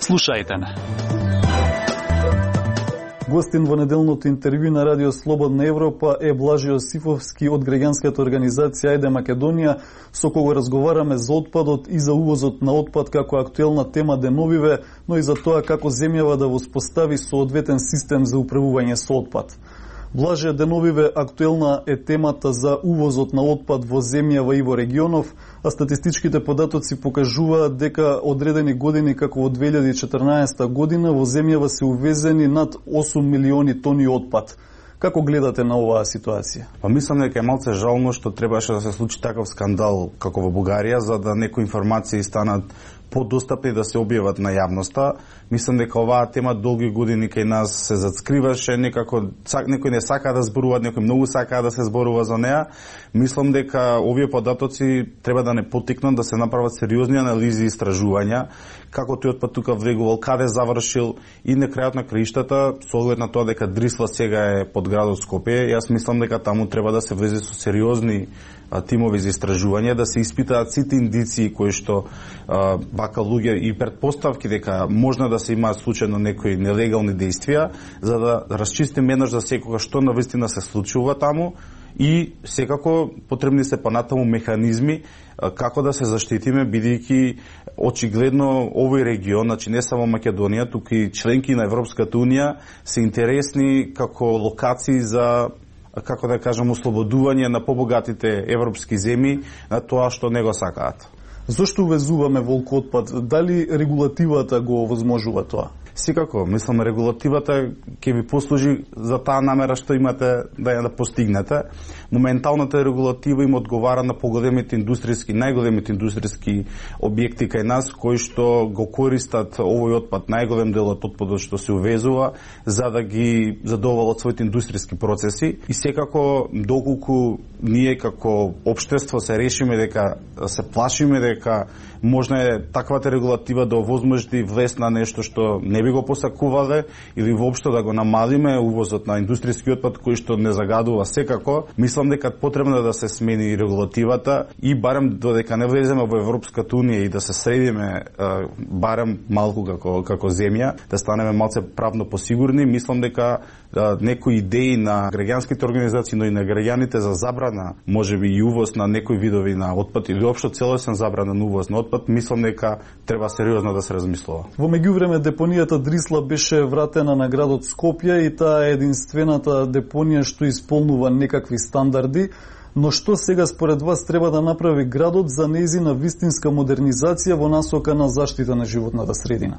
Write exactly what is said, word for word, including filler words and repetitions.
Слушајте не. Гостин во неделното интервју на Радио Слободна Европа е Блажи Јосифовски од граѓанската организација Ајде Македонија, со кого разговараме за отпадот и за увозот на отпад како актуелна тема деновиве, но и за тоа како земјава да воспостави соодветен систем за управување со отпад. Блаже, деновиве актуелна е темата за увозот на отпад во земјава и во регионов, а статистичките податоци покажуваат дека одредени години како во две илјади и четрнаесетта година во земјава се увезени над осум милиони тони отпад. Како гледате на оваа ситуација? Па мислам дека е малце жално што требаше да се случи таков скандал како во Бугарија, за да некои информации станат подостапни да се објават на јавноста. Мислам дека оваа тема долги години кај нас се зацкриваше, некако некој не сака да зборува, некој многу сака да се зборува за неа. Мислам дека овие податоци треба да не потикнат да се направат сериозни анализи и истражувања, како тој отпад тука влегувал, каде завршил и на крајот на краиштата, со оглед на тоа дека Дрисла сега е под градот Скопје, јас мислам дека таму треба да се влезе со сериозни тимови за истражување, да се испитаат сите индиции кои што а, вака луѓе и претпоставки дека можно да се имаат случајно некои нелегални действија, за да расчистиме еднаш за секогаш што навистина се случува таму и секако потребни се понатаму механизми а, како да се заштитиме, бидејќи очигледно овој регион, значи не само Македонија, туку и членки на Европската унија се интересни како локации за, како да кажам, ослободување на побогатите европски земји на тоа што не го сакаат. Зошто увезуваме волк отпад? Дали регулативата го овозможува тоа? Секако, мислам, регулативата ќе ви послужи за таа намера што имате да ја да постигнете. Моменталната регулатива им одговара на поголемите индустријски, најголемите индустријски објекти кај нас, кои што го користат овој отпад, најголем дел од отпадот што се увезува, за да ги задоволат своите индустријски процеси. И секако, доколку ние како општество се решиме дека се плашиме дека можно е таквата регулатива да овозможи влез на нешто што не би го посакувале или воопшто да го намалиме увозот на индустријски отпад кој што не загадува секако, мислам дека потребно да се смени регулативата и барем додека не влеземе во Европската унија и да се средиме барем малку како како земја, да станеме малце правно посигурни, мислам дека да, некои идеи на граѓанските организации, но и на граѓаните за забрана, можеби и увоз на некои видови на отпад или општо целосен забранен увоз на отпад, мислам дека треба сериозно да се размислува. Во меѓувреме депонијата Дрисла беше вратена на градот Скопје и таа е единствената депонија што исполнува некакви стандарди. Но што сега според вас треба да направи градот за нејзина вистинска модернизација во насока на заштита на животната средина?